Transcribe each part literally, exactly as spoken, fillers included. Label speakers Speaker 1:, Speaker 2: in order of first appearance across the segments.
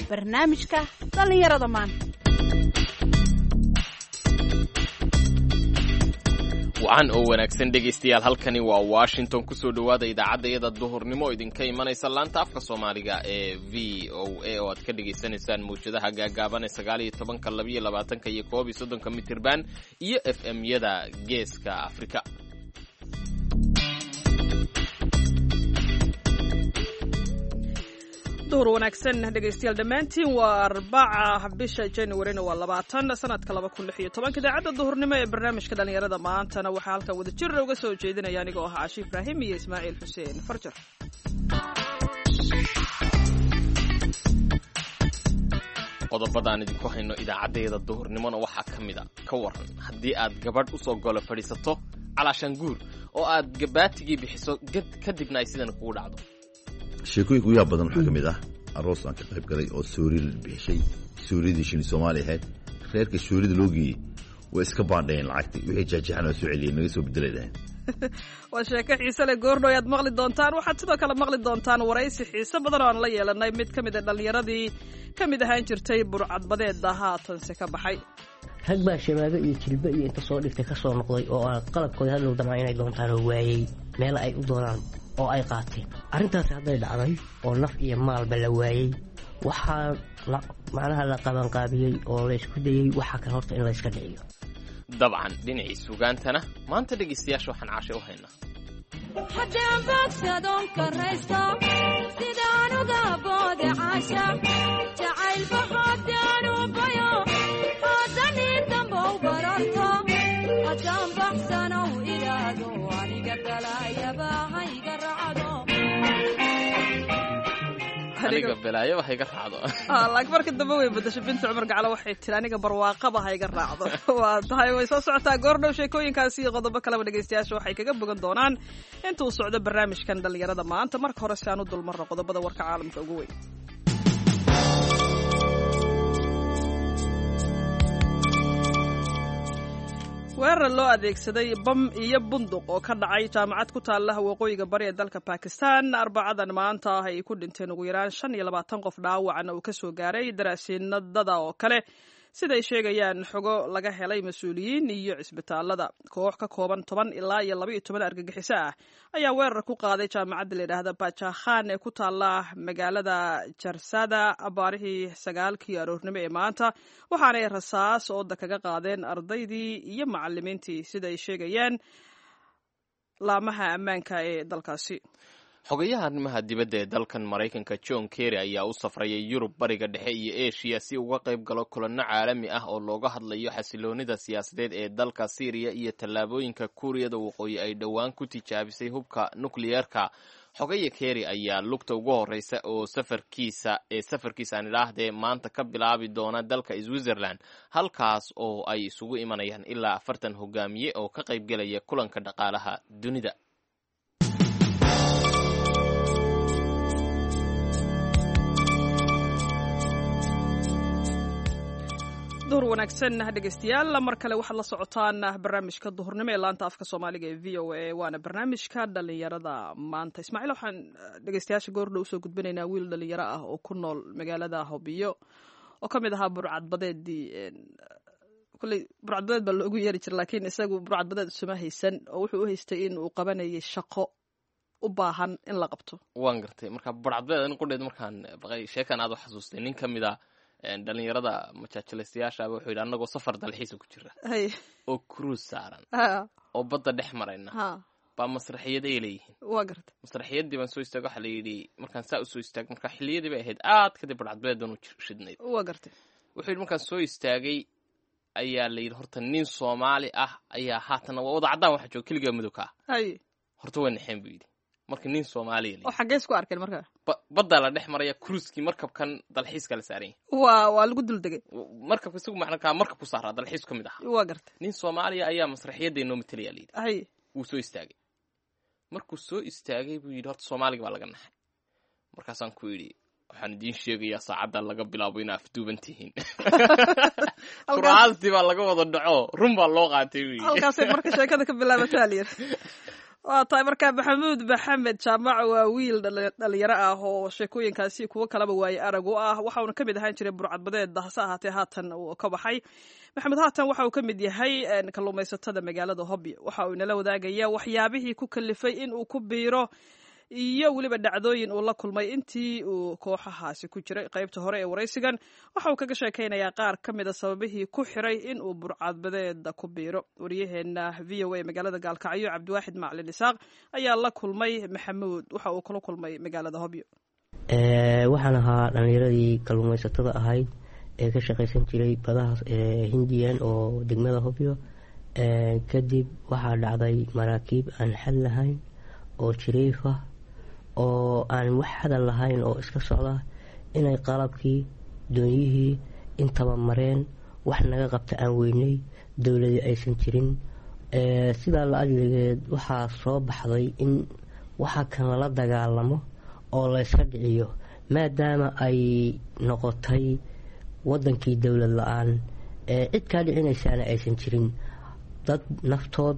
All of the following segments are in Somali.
Speaker 1: Barnaamijka dhallinyarada maanta.
Speaker 2: Wacan oo wanaagsan, dhegaystayaal. Halkani waa Washington. Kusoo dhowaada idaacadda duhurnimo oo idinka imanaysa laanta afka Soomaaliga ee V O A, oo aad ka dhagaysanaysaan mawjadaha gaagaaban ee sagaal iyo tobanka, labiyo labaatanka iyo koob iyo soddonka mitirban iyo F M yada Geeska Afrika.
Speaker 3: Duhur wanaagsan, dhegaystayaal dhammaantiin. Waa Arbaca, bisha Januarina waa labaatan, sanadka laba kun lix iyo tobanka. Idaacadda duhurnimo ee barnaamijka dhallinyarada maantana waxaa halkan wada jir uga soo jeedinaya anigoo ah Caashi Ibraahim iyo Ismaaciil Xuseen Farjar.
Speaker 2: Qodobadaan idinku hayno idaacaddayada duhurnimona waxaa ka mid a: ka waran haddii aad gabadh usoo golo fadhiisato calaashaan guur oo aad gabaatigii bixiso, kadibna ay sidan kugu dhacdo?
Speaker 4: Sheekooyinka ugu yaab badan waxaa ka mid ah aroos aan ka qayb galay oo soori la bixishay, sooridii shini Soomaali ahayd. Reerka soorida loo geeyey way iska baandhayeen lacagtii, wixii jeexjeexan waa soo celiyeen, naga soo bedelay dhaheen.
Speaker 3: Waa sheeko xiise leh, goordhow ayaad maqli doontaan. Waxaad sidoo kale maqli doontaan waraysi xiise badan oo aan la yeelanay mid ka mid a dhallinyaradii ka mid ahaan jirtay burcadbadeeda, haatanse ka baxay.
Speaker 5: Rag baa shabaago iyo jilbo iyo inta soo dhigtay ka soo noqday oo aan qalabkooda hadhow damaa inay doontaan oo waayey meel ay u doonaan oo ay qaateen. Arrintaasi hadday dhacday oo naf iyo maalba la waayey, waxaa macnaha la qabanqaabiyey oo la isku dayey waxaa kale horta in la iska dhiciyo.
Speaker 2: Dabcan, dhinacii sugaantana maanta dhegaystayaasha waxaan Caashay u haynaa.
Speaker 6: Haddaan bogsadoon karaysto sidaan uga boode caasha jacaylba, haddaan u bayo haddanii dambow bararto, haddaan baxsanow idhaahdo aniga balaayaba hayga raacdo.
Speaker 2: Aniga balaayo wax iga raacdo.
Speaker 3: Laakiin marka dambe way badasho Binta Cumar Gaclo, waxay tiri aniga barwaaqaba ha iga raacdo. Waa tahay, way soo socotaa goordhow. Sheekooyinkaasi iyo qodobo kaleba dhegaystayaasha waxay kaga bogan doonaan inta uu socdo barnaamijkan dhallinyarada maanta. Marka hore si aan u dulmarno qodobada warka caalamka ugu weyn. Weerar loo adeegsaday bam iyo bunduq oo ka dhacay jaamacad ku taalla waqooyiga bari ee dalka Bakistan Arbacadan maanta ah ay ku dhinteen ugu yaraan shan iyo labaatan qof, dhaawacna uu kasoo gaaray daraasiinadada oo kale, siday sheegayaan xogo laga helay mas-uuliyiin iyo cisbitaalada. Koox ka kooban toban ilaa iyo laba iyo toban argagixiso ah ayaa weerar ku qaaday jaamacadda la yidhaahda Bajakhan ee ku taalla magaalada Jarsada abaarihii sagaalkii aroornimo ee maanta, waxaanay rasaas ooda kaga qaadeen ardaydii iyo macalimiintii, sida ay sheegayaan laamaha ammaanka ee dalkaasi.
Speaker 2: Xogayaha arrimaha dibadda ee dalkan Maraykanka John Kerry ayaa u safrayay Yurub, Bariga Dhexe iyo Eshiya si uga qayb galo kulanno caalami ah oo looga hadlayo xasiloonida siyaasadeed ee dalka Siiriya iyo tallaabooyinka Kuuriyada Waqooyi ay dhowaan ku tijaabisay hubka nukliyeerka. Xogaya Kerry ayaa lugta ugu horeysa oo safarkiisa ee safarkiisa aan idhaahdee maanta ka bilaabi doona dalka Switzerland, halkaas oo ay isugu imanayaan ilaa afartan hogaamiye oo ka qaybgelaya kulanka dhaqaalaha dunida.
Speaker 3: Duhur wanaagsan, dhegaystayaal. Mar kale waxaad la socotaan barnaamijka duhurnimo ee laanta afka Soomaaliga ee V O A, waana barnaamijka dhalinyarada maanta. Ismaaciil, waxaan dhegaystayaasha goordhow usoo gudbinaynaa wiil dhalinyaro ah oo ku nool magaalada Hobiyo oo ka mid ahaa burcadbadeedii. Kolley burcadbadeed baa loogu yeeri jira, laakiin isagu burcadbadeed isuma haysan oo wuxuu u haystay in uu qabanayay shaqo u baahan in la qabto.
Speaker 2: Waan gartay. Marka burcadbadeed in qudheed markaan baqay sheekan aad u xasuustay, nin ka mid a dhalinyarada majaajilaystayaashaaba wuxuu yidhi: annagoo safar dalxiisa ku jira oo cruise saaran oo badda dhex marayna baa masraxiyad ay leeyihiin.
Speaker 3: Waa gartay.
Speaker 2: Masraxiyaddii baan soo istaag, waxaa la yidhi markaan saa usoo istaag, marka xilliyadii bay ahayd aad kadib burcadbadeedan u shidnayd.
Speaker 3: Waa gartay.
Speaker 2: Wuxuu yidhi markaan soo istaagay ayaa la yidhi horta nin Soomaali ah ayaa haatana waa wada caddaan, waxa jooga keligaa madow ka ah. Horta way naxeen, buu yidhi, marka nin Soomaaliya.
Speaker 3: Oo xaggee isku arkeen marka?
Speaker 2: Baddaa la dhex maraya, cruiskii, markabkan dalxiiska la saaran yahay.
Speaker 3: Waa waa lagu duldegay.
Speaker 2: Markabka isagu macnakaa markab ku saaraa dalxiis ka mid ahaa.
Speaker 3: Waa gartay.
Speaker 2: Nin Soomaaliya ayaa masraxiyadda inoo matalaya, la yidhi.
Speaker 3: Hay.
Speaker 2: Wuu soo istaagay. Markuu soo istaagay buu yidhi horta Soomaaliga baa laga naxay. Markaasaan ku yidhi: waxaan idiin sheegayaa saacadda laga bilaabo inaa afduuban tihiin. Kuraastii baa laga wada dhaco, run baa loo qaatay, buu yidhi.
Speaker 3: Halkaasay marka sheekada ka bilaabataa la yidhi. Waa tahay. Marka Maxamuud Maxamed Jaamac waa wiil dhalinyaro ah oo sheekooyinkaasi kuwo kalaba waaye arag u ah. Waxa uuna ka mid ahaan jiray burcadbadeed, hase ahaatee haatan uu ka baxay. Maxamed haatan waxa uu ka mid yahay kalluumaysatada magaalada Hobyo. Waxa uu inala wadaagaya waxyaabihii ku kalifay in uu ku biiro iyo weliba dhacdooyin uu la kulmay intii uu kooxahaasi ku jiray. Qaybta hore ee waraysigan waxa uu kaga sheekaynayaa qaar ka mid a sababihii ku xiray in uu burcadbadeeda ku biiro. Waryaheena V O A magaalada Gaalkacyo, Cabdiwaaxid Macalin Isaaq, ayaa la kulmay Maxamuud. Waxa uu kula kulmay magaalada Hobyo.
Speaker 5: Waxaan ahaa dhallinyaradii kalluumaysatada ahayd ee ka shaqaysan jiray badaha Hindiyan oo degmada Hobyo. Kadib waxaa dhacday maraakiib aan xad lahayn oo jiriif ah oo aan wax hadal lahayn oo iska socda inay qalabkii doonyihii intaba mareen, wax naga qabta aan weynay, dowladii aysan jirin. Sidaa la adligeed waxaa soo baxday in waxa kan lala dagaalamo oo layska dhiciyo, maadaama ay noqotay wadankii dowlad la-aan, cid kaa dhicinaysaana aysan jirin. Dad naftood,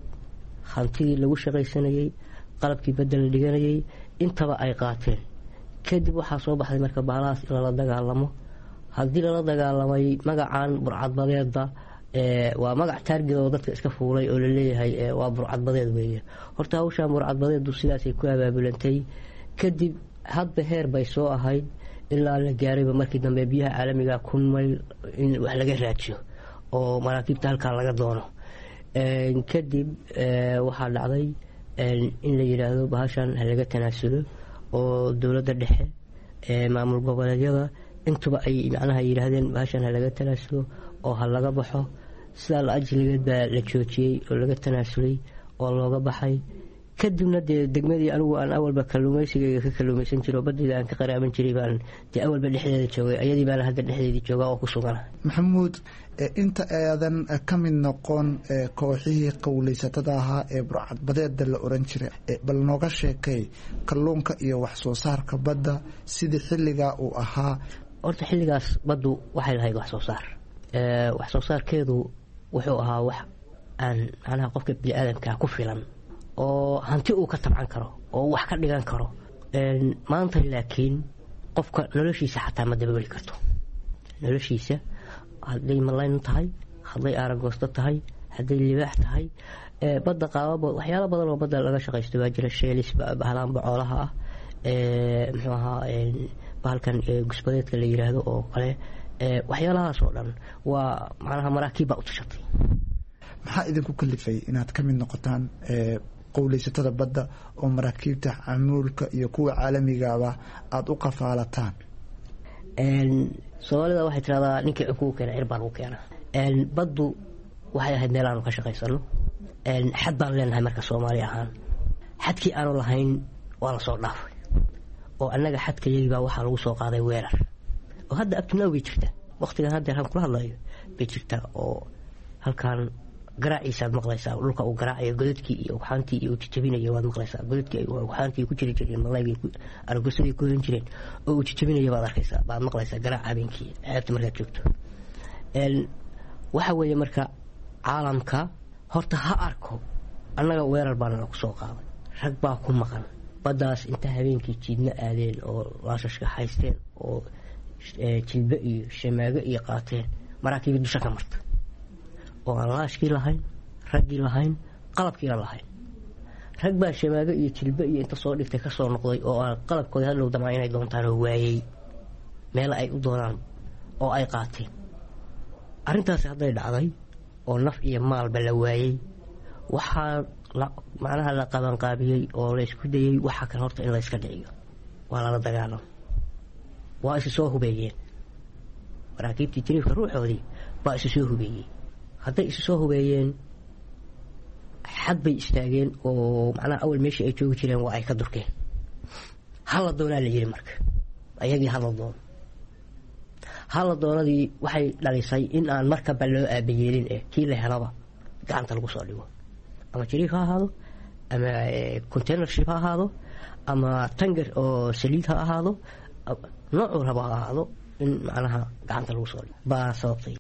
Speaker 5: hantidii lagu shaqaysanayay, qalabkii badda la dhiganayay intaba ay qaateen. Kadib waxaa soo baxday marka baalahaas in lala dagaalamo. Haddii lala dagaalamay, magacan burcadbadeeda waa magac taarged oo dadka iska fuulay oo laleeyahay waa burcadbadeed weeye. Horta hawshaan burcadbadeedu sidaasay ku abaabulantay. Kadib hadba heer bay soo ahayd ilaa la gaarayba markii dambe biyaha caalamiga kun mayl in wax laga raajiyo oo maraakiibta halkaa laga doono. Kadib waxaa dhacday in la yidhaahdo bahashan ha laga tanaasulo, oo dowladda dhexe, maamul goboleedyada intuba ay macnaha yidhaahdeen bahashan ha laga tanaasulo oo ha laga baxo. Sidaa la ajligeed baa la joojiyey oo laga tanaasulay oo looga baxay. Kadibna dee degmadii anigu aan awalba kalluumaysigayga ka kalluumaysan jiro, badayda aan ka qaraaban jiray, baan dee awalba dhexdeeda joogay, ayadii baana hadda dhexdeedii joogaa oo ku sugana.
Speaker 7: Maxamuud, inta aadan ka mid noqon kooxihii qowleysatada ahaa ee burcadbadeeda la oran jiray, bal nooga sheekay kalluunka iyo wax soo saarka badda sidii xilligaa uu ahaa.
Speaker 5: Horta xilligaas baddu waxay lahayd wax soo saar. Wax soo saarkeedu wuxuu ahaa wax aan macnaha qofka bini-aadamkaa ku filan oo hanti uu ka tabcan karo oo wax ka dhigan karo. Maanta laakiin qofka noloshiisa xataa ma dabooli karto noloshiisa, hadday malayn tahay, hadday aaragoosto tahay, hadday libaax tahay. Badda qaababa waxyaalo badan oo badda laga shaqaysto baa jira. Sheelis, bahlaan bocoolaha ah, muxuu ahaa bahalkan gusbadeedka la yiraahdo oo kale, waxyaalahaas oo dhan waa macnaha maraakiib baa u tashatay.
Speaker 7: Maxaa idinku kalifay inaad ka mid noqotaan qowleysatada badda oo maraakiibta camuulka iyo kuwa caalamigaaba aada u qafaalataan?
Speaker 5: Soomaalida waxay tiraahdaa ninkii cunkugu keena cir baa lagu keenaa. Baddu waxay ahayd meel aanu ka shaqaysano. Xad baan leenahay marka Soomaali ahaan. Xadkii aanu lahayn waa lasoo dhaafay, oo annaga xadkayagii baa waxaa lagu soo qaaday weerar, oo hadda abtinaaw bay jirtaa. Waqtigan haddeer aan kula hadlayo bay jirtaa, oo halkaan garaaciisaad maqlaysaa, dhulka uu garaacayo, godadkii iyo ugxaantii iyo uu jajabinayo waad maqlaysaa. Godadkii ugxaantii ku jiri jireen malaygii aragosadii ku hoyan jireen oo uu jajabinayo baad arkaysaa, baad maqlaysaa garaaca habeenkii ceebta markaad joogto. Waxa weeye marka caalamka horta ha arko annaga weerar baana lagu soo qaaday, rag baa ku maqan baddaas inta habeenkii jiidna aadeen oo laashashka haysteen oo jilbe iyo shamaago iyo qaateen, maraakiibi dusha ka marta oo aan laashkii lahayn, raggii lahayn, qalabkiina lahayn. Rag baa shamaago iyo jilbe iyo inta soo dhigtay kasoo noqday oo aan qalabkooda hadhow damaa inay doontaan oo waayey meel ay u doonaan oo ay qaateen. Arrintaasi hadday dhacday oo naf iyo maalba la waayey, waxaa macnaha la qabanqaabiyey oo laysku dayey waxa kan horta in layska dhiciyo, waa lala dagaalamo. Waa isu soo hubeeyeen maraakiibtii jiriifka ruuxoodii baa isu soo hubeeyey. Hadday isu soo hubeeyeen, xad bay istaageen oo macnaha awal meeshii ay joogi jireen waa ay ka durkeen. Hala doonaa la yiri marka ayagii, hala doono. Hala doonadii waxay dhalisay in aan markaba loo aabayeelin eh kii la helaba gacanta lagu soo dhigo, ama jiriif ha ahaado, ama containership ha ahaado, ama tangar oo saliid ha ahaado, noocuu raba ha ahaado, in macnaha gacanta lagu soo dhigo baa sababtay.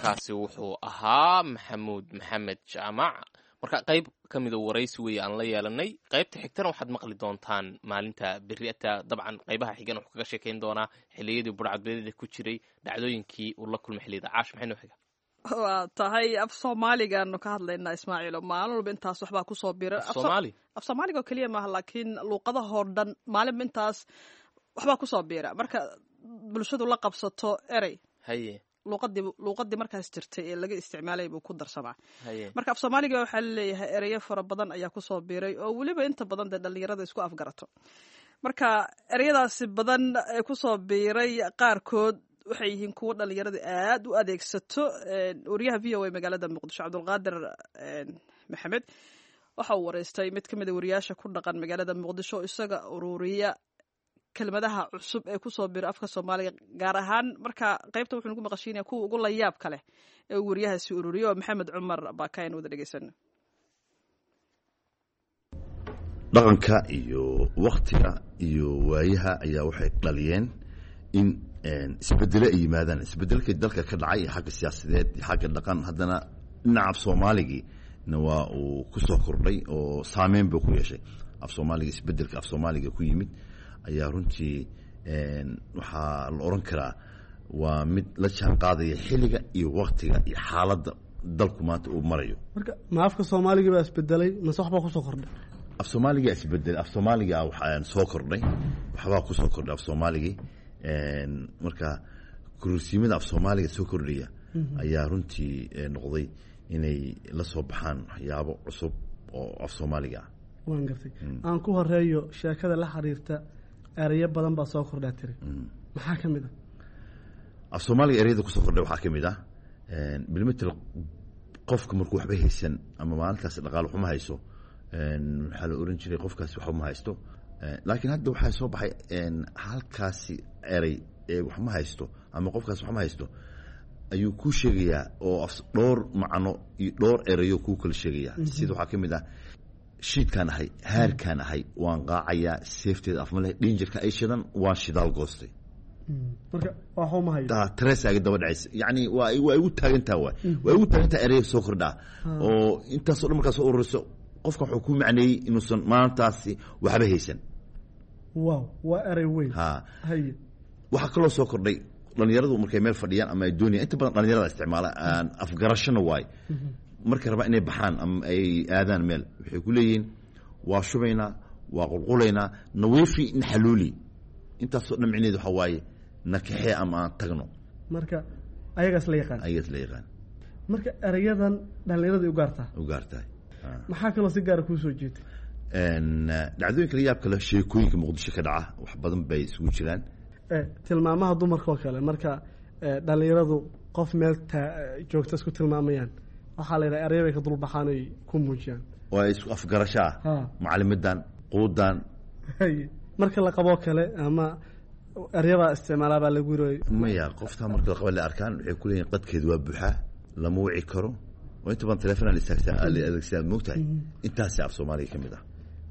Speaker 2: Kaasi wuxuu ahaa Maxamuud Maxamed Jaamac. Marka qayb ka mida waraysi weeye aan la yeelanay. Qaybta xigtana waxaad maqli doontaan maalinta beriata. Dabcan qaybaha xigan wuxuu kaga sheekayn doonaa xilliyadii burcadbeedada ku jiray, dhacdooyinkii uu la kulmay xilliyada. Caash, maxay noo xiga?
Speaker 3: Waa tahay, af Soomaaligaanu ka hadlaynaa, Ismaaciilo. Maalin walba intaas waxbaa kusoo bira.
Speaker 2: Soomaali.
Speaker 3: Af Soomaaliga oo keliya maaha, laakiin luuqadahoo dhan maalinba intaas waxbaa kusoo biira. Marka bulshadu la qabsato erey,
Speaker 2: haye
Speaker 3: luuqadii luuqadii markaas jirtay ee laga isticmaalay buu ku darsamaa.
Speaker 2: Haye
Speaker 3: marka af Soomaaliga waxaa laleeyahay ereyo fara badan ayaa kusoo biiray, oo weliba inta badan dee dhalinyarada isku afgarato. Marka ereyadaasi badan ee kusoo biiray qaarkood waxay yihiin kuwo dhalinyarada aad u adeegsato. Wariyaha V O A magaalada Muqdisho, Cabdulqaadir Maxamed, waxa uu wareystay mid ka mid a wariyaasha ku dhaqan magaalada Muqdisho, isaga ururiya kelmadaha cusub ee kusoo bira afka Soomaaliga gaar ahaan. Marka qaybta wuxuu nagu maqashiinaya kuwa ugu layaabka leh ee uu wariyahaasi ururiyo, oo Maxamed Cumar Baakayn wada dhegeysano.
Speaker 4: Dhaqanka iyo waktiga iyo waayaha ayaa waxay dhaliyeen in isbedelo ay yimaadaan. Isbedelkii dalka ka dhacay iyo xagga siyaasadeed iyo xagga dhaqan, haddana dhinaca af Soomaaligiina waa uu ku soo kordhay oo saameyn buu ku yeeshay af Soomaaliga. Isbedelka af Soomaaliga ku yimid ayaa runtii waxaa la oran karaa waa mid la jaan qaadaya xilliga iyo waktiga iyo xaaladda dalku maanta uu marayo.
Speaker 8: Marka ma afka Soomaaliga baa isbedelay mase waxbaa kusoo kordhay?
Speaker 4: Af Soomaaliga isbedelay. Af Soomaaliga waxaan soo kordhay, waxbaa kusoo kordhay af Soomaaligii. Marka kursiimada af Soomaaliga soo kordhaya ayaa runtii noqday inay la soo baxaan waxyaabo cusub oo af Soomaaliga ah.
Speaker 8: Waan gartay. Aan ku horeeyo sheekada la xiriirta ereyo badan baa soo kordhaa tiri, maxaa ka mid ah?
Speaker 4: Af Soomaaliga ereyada kusoo kordhay waxaa ka mid ah bilmetel qofka markuu waxba haysan ama maalintaas dhaqaale xuma hayso, waxaa la oran jiray qofkaasi waxba ma haysto. Laakiin hadda waxaa soo baxay halkaasi erey ee wax ma haysto ama qofkaasi wax ma haysto ayuu kuu sheegayaa, oo dhowr macno iyo dhowr erayo kuu kala sheegayaa. Sida waxaa ka mid ah shiidkaan ahay, haarkaan ahay, waan qaacayaa, seefteeda afma leh, dhinjirka ay shidan, waan shidaal goostay.
Speaker 8: Marka waxu ma hayo.
Speaker 4: Tareesaaga daba dhacaysa, yacni waa waa igu taagantaa, waay waa igu taagantaa ereyo soo kordhaa oo intaasoo dhan markaa soo ururiso, qofka wuxuu ku macneeyey inuusan maantaasi waxba haysan.
Speaker 8: Wow, waa erey weyn.
Speaker 4: Ha.
Speaker 8: Haye
Speaker 4: waxaa kaloo soo kordhay dhalinyaradu markay meel fadhiyaan ama ay doonayaan, inta badan dhalinyarada isticmaala aan afgarashona waay, markay rabaan inay baxaan ama ay aadaan meel, waxay ku leeyihiin waa shubaynaa, waa qulqulaynaa, nawiifi naxaluuli. Intaasoo dhan micneheed waxaa waaye nakaxee ama aan tagno.
Speaker 8: Marka ayagaas la yaqaan.
Speaker 4: Ayagaas la yaqaan.
Speaker 8: Marka ereyadan dhallinyaradii u gaartaa.
Speaker 4: U gaartahay.
Speaker 8: Maxaa kaloo si gaara kuu soo jeetay?
Speaker 4: Dhacdooyinka la yaab kale, sheekooyinka Muqdisho ka dhaca wax badan bay isugu jiraan.
Speaker 8: Tilmaamaha dumarka oo kale, marka dhalinyaradu qof meel taa joogta isku tilmaamayaan, waxaa la yidhaha erey bay ka dulbaxaan ay ku muujiyaan.
Speaker 4: Oo ay isku afgarasho ah, macalimidan quudan.
Speaker 8: Haye marka la qaboo kale ama eryabaa isticmaalaa baa lagu yiri?
Speaker 4: Maya, qoftaa marka la qaba la arkaan waxay ku leeyihin qadkeedu waa buuxaa, lama wici karo, oo inta badan telefoon la istaagsaa la adeegsadaa, moogtahay. Intaasi af Soomaaliga ka mid ah.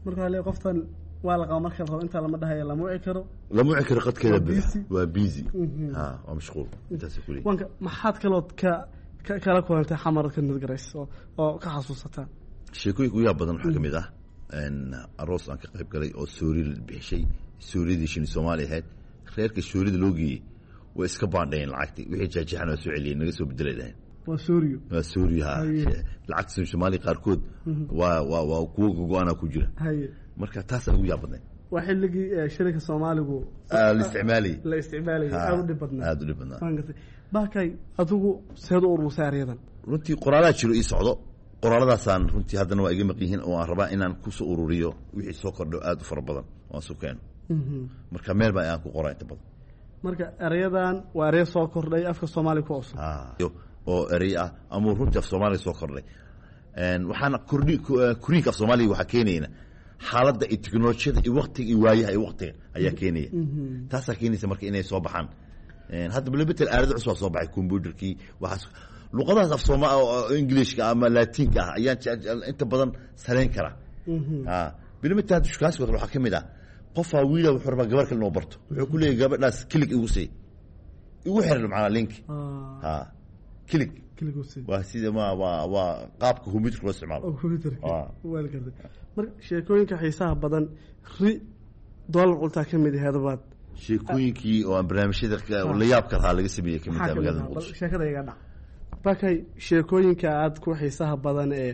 Speaker 8: Marka waxaa leeyahay qoftan waa la qaba marka la rabo, intaa lama dhahayo lama wici karo.
Speaker 4: Lama wici karo, qadkeeda buuxa, waa busy, ha, waa mashquul, intaasay ku leeyihin.
Speaker 8: Wanka maxaad kalood ka ka kala kulantay Xamar ka nadgarays oo oo ka xasuusataa?
Speaker 4: Sheekooyinka ugu yaab badan waxaa ka mid ah aroos aan ka qayb galay oo soori la bixishay, sooridii shini Soomaali ahayd. Reerka soorida loo geeyey way iska baandhayeen lacagtii, wixii jeexjeexan waa soo celiyeen, naga soo bedelay dhaheen.
Speaker 8: Waa sooriyo?
Speaker 4: Waa sooriyo, ha. Lacagta Soomaali qaarkood waa waa waa kuwo gogo-aanaa ku jira.
Speaker 8: Haye
Speaker 4: marka taasaa ugu yaab badnayd.
Speaker 8: Waa xilligii shilinka Soomaaligu
Speaker 4: la isticmaalayay.
Speaker 8: La isticmaalayay, aada u dhib badnaa.
Speaker 4: Aada u dhib badnaa.
Speaker 8: Waan gartay. Baakay, adigu seed u urursay eryadan?
Speaker 4: Runtii qoraalaa jiro ii socdo, qoraaladaasaan runtii haddana waa iga maqan yihiin, oo aan rabaa inaan kusoo ururiyo wixii soo kordho aada u fara badan oo aan su keeno. Marka meel baa aan ku qoraa inta badan.
Speaker 8: Marka ereyadan waa ereyo soo kordhay afka Soomaaliga ku cusub.
Speaker 4: Oo erey ah ama runtii af Soomaaliga soo kordhay. Waxaana kordhi koriinka af Soomaaliga waxaa keenayna xaaladda iyo teknolojiyada iyo waktiga iyo waayaha iyo waktiga ayaa keenaya. Taasaa keenaysa marka inay soo baxaan. Hadda bilbetel aalado cusub aa soo baxay, computerkii, waxaas luqadahaas af sooma Englishka ama Latinka ah ayaan inta badan saleyn karaa. Bilmetel hadda shukaansiga kale waxaa ka mid ah qofaa wiila wuxuu rabaa gabar kale inuu barto, wuxuu ku leeyahay gabadhaas kilig igu sii, igu xiran macnaa link, ha, kilig. Waa sida ma waa waa qaabka computerka loo isticmaalo.
Speaker 8: Marka sheekooyinka xiisaha badan ri doolar cuntaa ka mid aheed baad
Speaker 4: Sheekooyinkii oo aan barnaamijyada la yaabka lahaa laga sameeyey ka mid ah magaalada Muqdisho.
Speaker 8: Sheekada iga dhac bakay, sheekooyinka aad ku xiisaha badan ee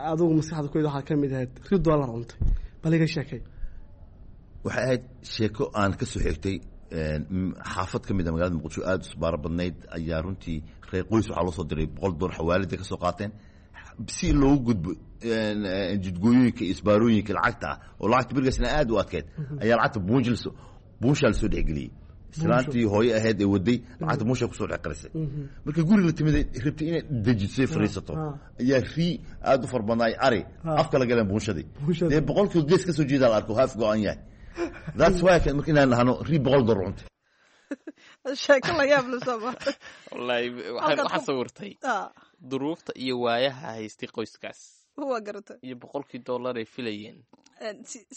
Speaker 8: adigu maskaxda ku waxaa ka mid ahayd ri doolar cuntay, bal iga sheekay.
Speaker 4: Waxay ahayd sheeko aan ka soo xigtay xaafad ka mid a magaalada Muqdisho, aada u isbaaro badnayd. Ayaa runtii reer qoys waxaa loo soo diray boqol doolar xawaalida ka soo qaateen si loogu gudbo jidgooyooyinka iyo isbaarooyinka lacagta ah, oo lacagta berigaasna aada u adkeyd. Ayaa lacagta buunjil buunshaa lasoo dhexgeliyey. Islaantii hooye ahayd ee waday lacagta buunshaa kusoo dhex qarisay. Marka guriga la timid rabtay inay dejisay fariisato, ayaa rii aada u far badnaay ari afka la galeen buunshadii. Dee boqolkiiba gees ka soo jeedaa la arko haaf go-an yahay. That's why marka inaan dhahno rii boqol dollar cuntay.
Speaker 3: Sheeko la yaab la soo maartay.
Speaker 2: Wallaahi waxaan waxaa sawirtay duruufta iyo waayaha haystay qoyskaas.
Speaker 3: Waa garatay.
Speaker 2: Iyo boqolkii dollar ay filayeen.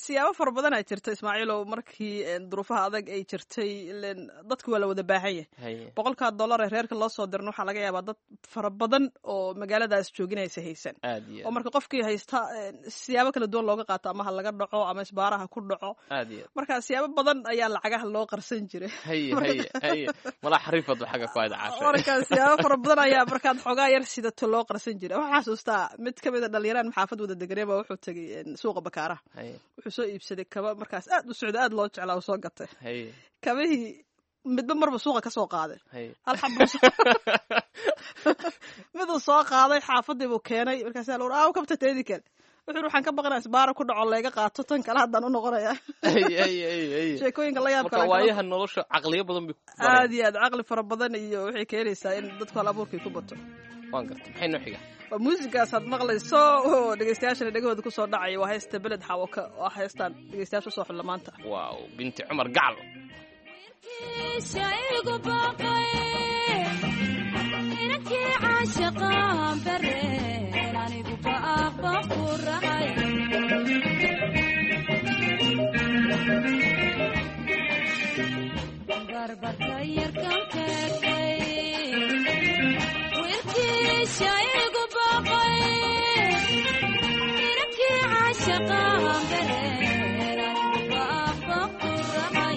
Speaker 3: Siyaabo fara badan aa jirta, Ismaaciilow, markii duruufaha adag ay jirtay ilen dadku waa la wada baahan yahay. Boqolkaa dollar ee reerka loo soo dirna waxaa laga yaabaa dad fara badan oo magaaladaas jooginaysa haysan, oo marka qofkii haysta siyaabo kala duwan looga qaato, ama ha laga dhaco ama isbaaraha ku dhaco. Marka siyaabo badan ayaa lacagaha loo qarsan jiray. Marka siyaabo fara badan ayaa markaad xoogaa yar sidato loo qarsan jiray. Waxaa xasuustaa mid ka mid a dhalinyaraan maxaafad wada deganee baa wuxuu tegey suuqa Bakaaraha. Wuxuu soo iibsaday kaba markaas aad u socda, aad loo jeclaa, u soo gatay kabihii. Midba marba suuqa ka soo qaaday hal xabo, miduu soo qaaday xaafadii buu keenay. Markaasa la aaw kabta teedi kale, wuxuu waxaan ka baqanaa isbaara ku dhaco layga qaato tan kale, haddaan u noqonaya. Sheekooyinka la yaab
Speaker 2: kale, waayaha nolosha caqliyo badan bay
Speaker 3: aad iyo aad caqli fara badan iyo waxay keenaysaa in dadku hal abuurkii ku bato.
Speaker 2: Waan gartay, maxay noo xiga?
Speaker 3: Waa muusigaas aad maqlayso oo dhegeystayaashana dhegahooda kusoo dhacaya, waa heesta Beled Xaawo oo heestaan dhegeystayaasha usoo xulla maanta.
Speaker 2: Waaw, Binti Cumar Gacal.
Speaker 6: Igu baaqay inankii caashaqaan bareen, anigu baaqbaan ku rahay. Barbarka yarkan keegtay wiilkiisha igu baaqay inankii caashaqaan bareen, anigu baaqbaan ku rahay.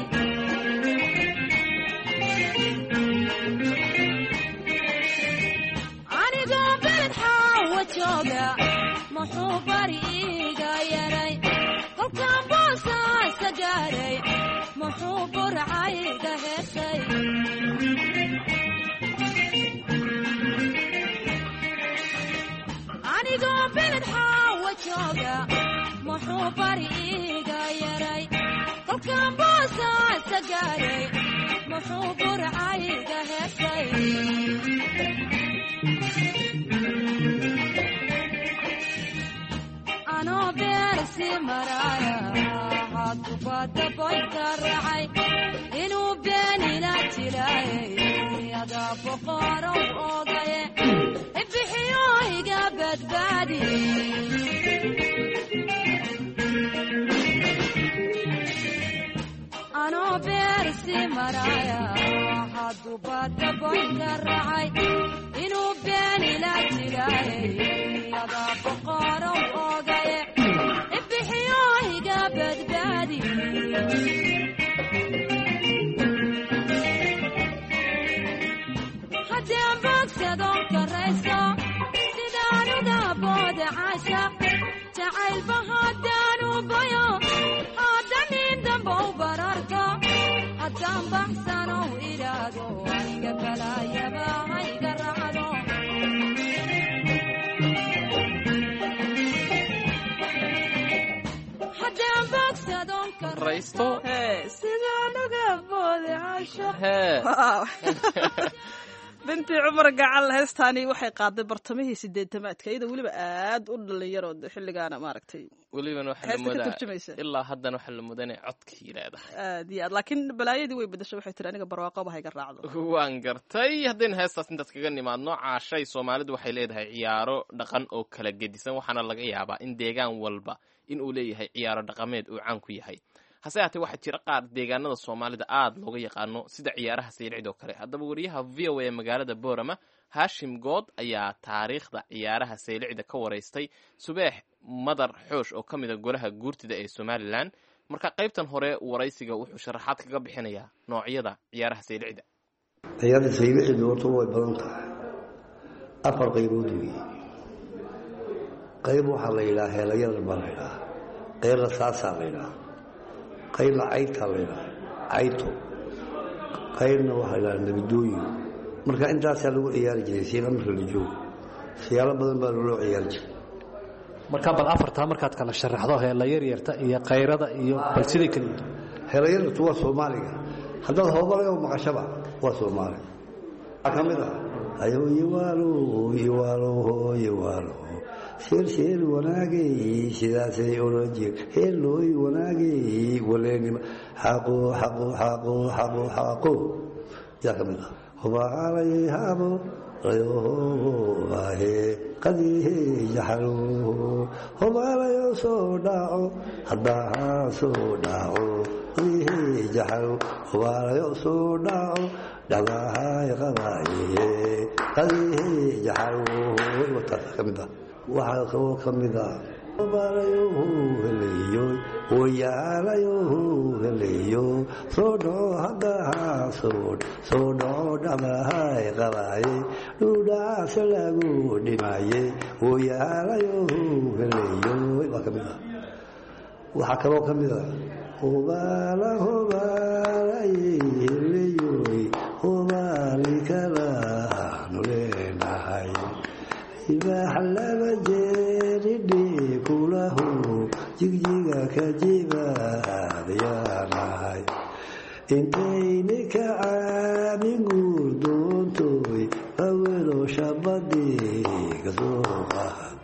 Speaker 6: Anigoo Beled Xaawa jooga muxuu bari iiga yaray? Kolkaan boosaasa gaaray muxuu burcayga heesay? Anigoo Beled Xaawa jooga muxuu bari iiga yaray? Kolkaan boosaasa gaaray muxuu burcayga heesay? Anoo beersi maraaya haddubadda boynka raacay inuu beenila jilaayay, adaa boqorow ogaye ibixiyo iga badbaadi. Anoo beersi maraaya haddubadda boynka raacay inuu beenila jilaayay, adaa boqorow ogaye ibixiyo iga badbaadi. Haddii aan boogsadoon karayso sidaan uga booda caashaq jacaylba, haddaan u bayo haddanin damba u bararto, haddaan baxsanow idhaahdo aniga balaayaba hayga raacdo. Haddaan boogsadoon
Speaker 2: Raysto.
Speaker 3: Sidaan uga booda caashaq.
Speaker 2: Hee.
Speaker 3: Binti Cumar Gacal, heestaani waxay qaaday bartamihii sideetamaadka, iyadoo weliba aad u dhalinyaro xilligaana maaragtay.
Speaker 2: Welibana waxaa la
Speaker 3: Heesta ka
Speaker 2: moodaa
Speaker 3: turjumaysa.
Speaker 2: Ilaa haddana waxaa la mudanay codkii leedahay.
Speaker 3: Aad iyo aad, laakiin balaayadii way bedashay, waxay tiri aniga barwaaqoba hayga raacdo.
Speaker 2: Waan gartay. Haddaynu heestaas intaas kaga nimaadno, caashay, Soomaalidu waxay leedahay ciyaaro dhaqan oo kala gedisan, waxaana laga yaabaa in deegaan walba in uu leeyahay ciyaaro dhaqameed uu caan ku yahay. Hase haatee waxaa jira qaar deegaanada Soomaalida aada looga yaqaano, sida ciyaaraha saylicid oo kale. Haddaba wariyaha V O A ee magaalada Boorama, Haashim Good, ayaa taariikhda ciyaaraha saylicida ka waraystay Subeex Madar Xoosh oo ka mid a golaha guurtida ee Somalilan. Marka qaybtan hore waraysiga wuxuu sharaxaad kaga bixinayaa noocyada ciyaaraha saylicida.
Speaker 9: Ciyaarta saylicidu horta way badan tahay, afar qaybood weeye. Qayb waxaa la yidhaha heelayada baa la yidhaha, qaybna saasaa la yidhaha, qaybna caytaa la yidhaha cayto, qaybna waxaa la yidhaha nabadooyin. Marka intaasaa lagu ciyaari jiray siila marka la joogo, siyaalo badan baa loo ciyaari jiray.
Speaker 10: Marka bal afartaa markaad kala sharaxdo, heela yaryarta iyo kayrada iyo bal siday kala yihiin.
Speaker 9: Heelayartu waa Soomaaliga, haddaad hoobalayo maqashaba waa Soomaali. Waxaa ka mid ah ayoyiwaalo yiwaalo yiwaalo sheer sheer wanaagay, sidaasay odhan jir heelooy wanaagay waleenima xaqo xaqo xaqo xaqo xaqo yaa ka mid ah hubaalay habo rayobahe qadihe jaxalo hubaalayo soo dhaco haddaha soo dhaco qadihe jaxalo hubaalayo soo dhaco dhagahay qabaye qadihe jaxalo wataas ka mid ah. Waxaa kaloo ka mid ah hubaalayo heleyo wayaalayo heleyo soo dhaco haddaha soo soo dhaco dhagahay qabaye dhuudhacaase lagu dhimaye wayaalayo heleyo waa ka mid ah. Waxaa kaloo ka mid ah hubaala hubaalay heleyoy hubaali kalaanu leenahay ibaax laba jeeridhi kulahu jigjiga ka jibaadyaanahay intayni ka caamin guur doontoy awelo shabadii kasoo qaad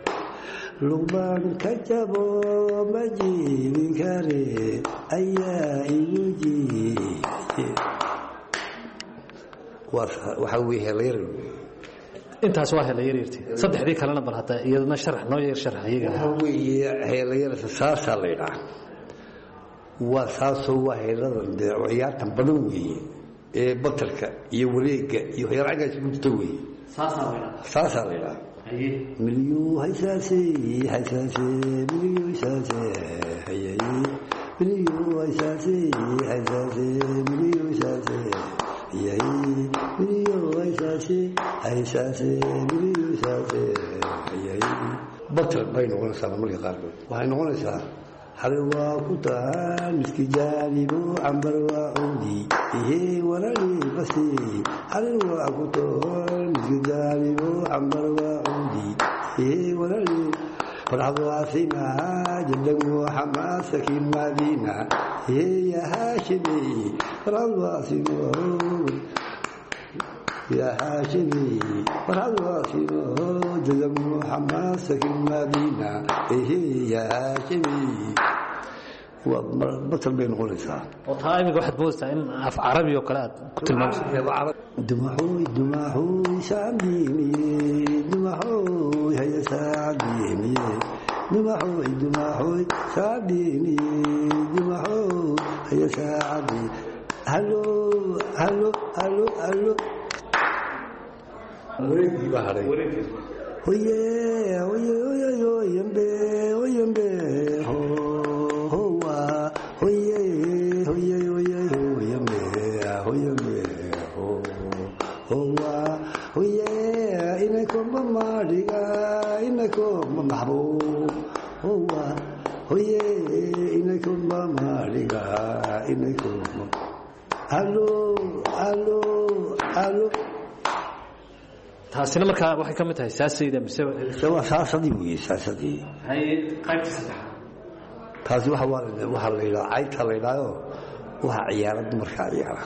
Speaker 9: luqbaan ka jabo ma jiibin kare ayaa igu jiiye. Waxaa weye heelayar.
Speaker 10: Intaas waa heela yaryarti, saddexdii kalena bal hadda iyadana sharax noo yar sharax iyaga.
Speaker 9: Waxaa weeye heelayarta saasaa la yidhaha, waa saasoo waa heeladan dee ciyaartan badan weeye ee batarka iyo wareegga iyo waxyaala caggaas ku jirta weeye, saasaa la yidhaha. Milyu haysaase haysaase milyu haysaase hayaye milyu haysaase haysaase milyu haysaase hayaye milyu haysaase haysaase milyu haysaase hayaye batar bay noqonaysaa. Marmarka qaarkood waxay noqonaysaa xalay waa ku tahaan miski jaanibo cambar waa cudi ihe walali basi xalay waa ku tahaan miski jaanibo cambar waa cudi ihe walali farxad waasina jadagu xamaasaki madina ihe ya haashimi farxad waasino يا هاشمي فرحد واسينو جزم حماسك المدينة إيه يا هاشمي بطل بين غلسة.
Speaker 10: Oo taa imika waxaad moodaysaa in af carabi oo kale aad ku tilmaamsa.
Speaker 9: Dumaxooy dumaxooy saabdiimiye dumaxooy haya saabdiimiye dumaxooy dumaxooy saabdiimiye dumaxooy haya saabdi halo halo halo halo wareegii baa hadhay. Oye oye oye oyembe oyembe howa oye oye oye oyembe oyembe howa oye inakomba maadhiga inakomba maxbuub howa oye inakomba maadhiga inakomba halo halo halo.
Speaker 10: Taasina markaa waxay ka mid tahay saasayda mise?
Speaker 9: Waa saasadii weeye, saasadii.
Speaker 10: Haye, qaybta saddexaad.
Speaker 9: Taasi waxa waa waxaa la yidhaha cayta la yidhahdo, waxaa ciyaara dumarkaa ciyaara.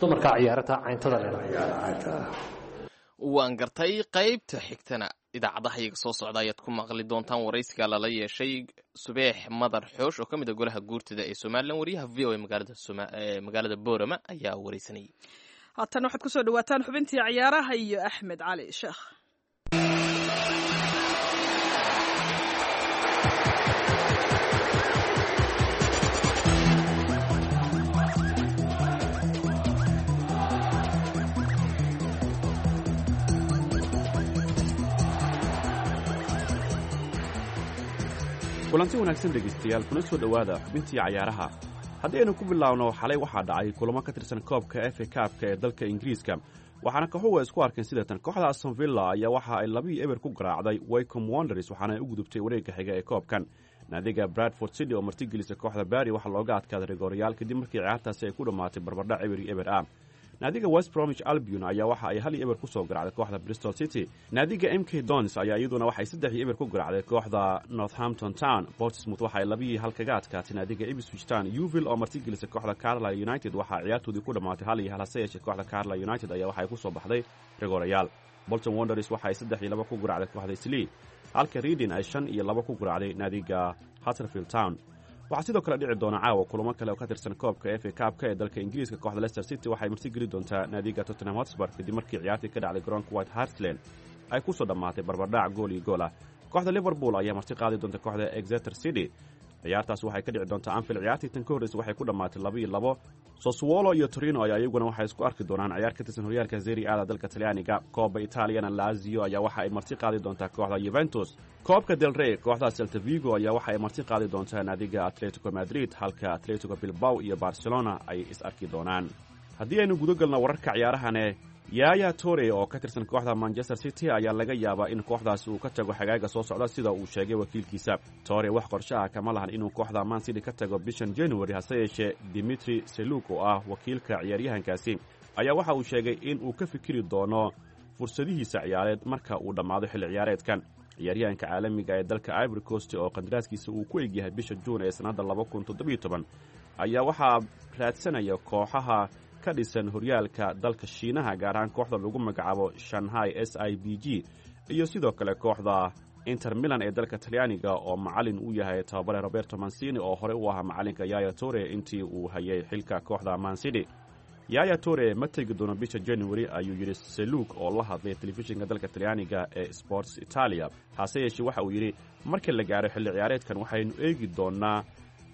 Speaker 10: Dumarkaa ciyaarataa cayntada la yidhahdo.
Speaker 9: Ciyaara cayta.
Speaker 2: Waan gartay. Qaybta xigtana idaacadaha iyaga soo socda ayaad ku maqli doontaan waraysiga lala yeeshay Subeex Madar Xoosh oo ka mid ah golaha guurtida ee Somalilan. Wariyaha V O A magaalada Soma- ee magaalada Boorama ayaa waraysanayay.
Speaker 3: Haatan waxaad kusoo dhawaataan xubintii ciyaaraha iyo Axmed Cali Sheekh.
Speaker 11: Kulanti wanaagsan dhegaystayaal, kuna soo dhowaada xubintii cayaaraha. Haddii aynu ku bilaawno, xalay waxaa dhacay kulamo ka tirsan koobka F A Cup-ka ee dalka Ingiriiska, waxaana kooxuhu ay isku arkeen sidatan. Kooxda Aston Villa ayaa waxa ay labii eber ku garaacday Wycombe Wanderers, waxaana ay u gudubtay wareegga xiga ee koobkan. Naadiga Bradford City oo martigelisa kooxda Bury waxaa looga adkaaday rigooryaal kadib markii ciyaartaasi ay ku dhammaatay barbardhac eber iyo eber ah. Naadiga West Bromwich Albion ayaa waxa ay hal iyo eber ku soo garaacday kooxda Bristol City. Naadiga M K Dons ayaa iyaduna waxay saddex iyo eber ku garaacday kooxda Northampton Town. Portsmouth waxa ay labiyi hal kaga adkaatay naadiga Ipswich Town. Yeovil oo martigelisa kooxda Carlisle United waxaa ciyaartoodii ku dhammaatay hal iyo hal, hase yeeshee kooxda Carlisle United ayaa waxay ku soo baxday rigoorayaal. Bolton Wanderers waxa ay saddex iyo laba ku garaacday kooxda Eastleigh, halka Reading ay shan iyo laba ku garaacday naadiga Huddersfield Town. Waxaa sidoo kale dhici doona caawa kulamo kale oo ka tirsan koobka F A Cup-ka ee dalka Ingiriiska. Kooxda Leicester City waxay martigeli doontaa naadiga Tottenham Hotspur kadib markii ciyaartii ka dhacday garoonka White Hart Lane ay ku soo dhammaatay barbardhac gool iyo gool ah. Kooxda Liverpool ayaa marti qaadi doonta kooxda Exeter City. Ciyaartaas waxay ka dhici doontaa Anfield. Ciyaartii tan ka horreysa waxay ku dhammaatay laba iyo labo. Sassuolo iyo Torino ayaa iyaguna waxay isku arki doonaan ciyaar ka tirsan horyaalka Serie A-da dalka Talyaaniga. Koobka Italiana, Lazio ayaa waxa ay marti qaadi doontaa kooxda Juventus. Koobka Del Rey, kooxda Celta Vigo ayaa waxa ay marti qaadi doontaa naadiga Atletico Madrid, halka Atletico Bilbao iyo Barcelona ay is arki doonaan. Haddii aynu guda galno wararka ciyaarahane, Yaya Toure oo ka tirsan kooxda Manchester City ayaa laga yaabaa in kooxdaasi uu ka tago xagaaga soo socda, sida uu sheegay wakiilkiisa. Toure wax qorshe ah kama lahan inuu kooxda Man City ka tago bishan January, hase yeeshee Dimitri Seluk oo ah wakiilka ciyaaryahankaasi ayaa waxa uu sheegay in uu ka fikiri doono fursadihiisa ciyaareed marka uu dhammaado xilli ciyaareedkan. Ciyaaryahanka caalamiga ee dalka Ivory Coast oo qandaraaskiisa uu ku egyahay bisha Juun ee sannadda laba kun toddobiyo toban ayaa waxaa raadsanaya kooxaha ka dhisan horyaalka dalka Shiinaha, gaar ahaan kooxda lagu magacaabo Shanghai S I B G iyo sidoo kale kooxda Inter Milan ee dalka Talyaaniga oo macalin u yahay tababare Roberto Mancini oo horey u ahaa macalinka Yaya Toure intii uu hayay xilka kooxda Man City. Yaya Toure ma tegi doono bisha January, ayuu yidhi Seluk oo la hadlay telefishinka dalka Talyaaniga ee Sports Italia. Hase yeeshee waxa uu yidhi, marka la gaaro xilli ciyaareedkan waxaynu eegi doonaa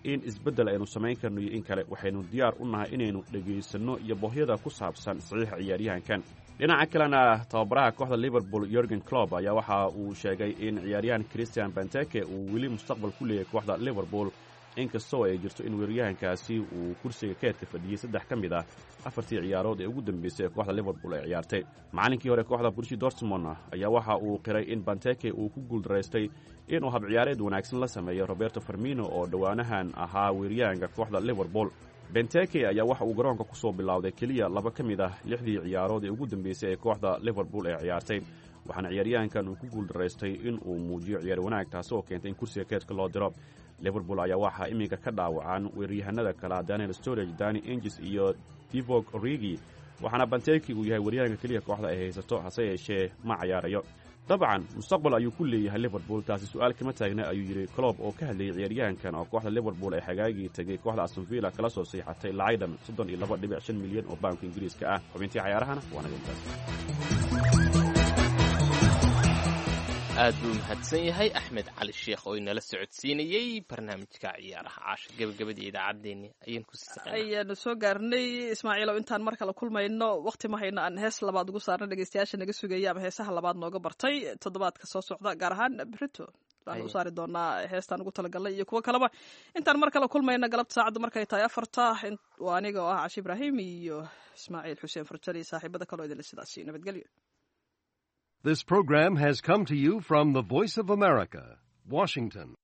Speaker 11: in isbeddel aynu samayn karno iyo in kale. Waxaynu diyaar u nahay inaynu dhegaysanno iyo boohyada ku saabsan saxiixa ciyaaryahankan. Dhinaca kalena, tababaraha kooxda Liverpool Jurgen Klopp ayaa waxa uu sheegay in ciyaaryahan Christian Benteke uu weli mustaqbal ku leeyahay kooxda Liverpool, inkastoo ay jirto in weeraryahankaasi uu kursiga keedka fadhiyey saddex ka mid ah afartii ciyaarood ee ugu dambeysay ee kooxda Liverpool ay ciyaartay. Macallinkii hore kooxda Borussia Dortmund ayaa waxa uu qiray in Benteke uu ku guuldaraystay inuu hab ciyaareed wanaagsan la sameeyo Roberto Firmino oo dhowaanahan ahaa weeraryahanka kooxda Liverpool. Benteke ayaa waxa uu garoonka ku soo bilowday keliya laba ka mid ah lixdii ciyaarood ee ugu dambeysay ee kooxda Liverpool ay ciyaartay, waxaana ciyaaryahankan uu ku guuldaraystay in uu muujiyo ciyaar wanaag, taasi oo keentay in kursiga keedka loo diro. Liverpool ayaa waxaa iminka ka dhaawacan weeraryahanada kala Daniel Sturridge, Danny Ings iyo Divock Origi, waxaana Benteke uu yahay weeraryahanka keliya kooxda ay haysato, hase yeeshee ma cayaarayo. Dabcan mustaqbal ayuu ku leeyahay Liverpool, taasi su-aal kama taagna, ayuu yidhi Klopp oo ka hadlayay ciyaaryahankan oo kooxda Liverpool ay xagaagii tegay kooxda Aston Villa kala soo siixatay lacag dhan soddon iyo laba dhibic shan milyan oo baanka Ingiriiska ah. Xubintii cayaarahana waa naga intaas.
Speaker 2: Aad buu mahadsan yahay Axmed Cali Sheekh oo inala socodsiinayey barnaamijka ciyaaraha. Caasha, gebagabadii idaacaddeenni ayaan ku sii
Speaker 3: Ayaanu soo gaarnay, Ismaaciilow. Intaan mar kale kulmayno, waqti ma hayno aan hees labaad ugu saarna dhegeystayaasha naga sugaya ama heesaha labaad nooga bartay toddobaadka soo socda, gaar ahaan berito baan u saari doonaa heestaan ugu talagalnay iyo kuwo kaleba. Intaan mar kale kulmayno galabta saacaddu markay tahay afarta, waa aniga oo ah Cashi Ibraahim iyo Ismaaciil Xuseen Farjali iyo saaxiibada kaloo idinle sidaasi nabadgelyo.
Speaker 12: This program has come to you from the Voice of America, Washington.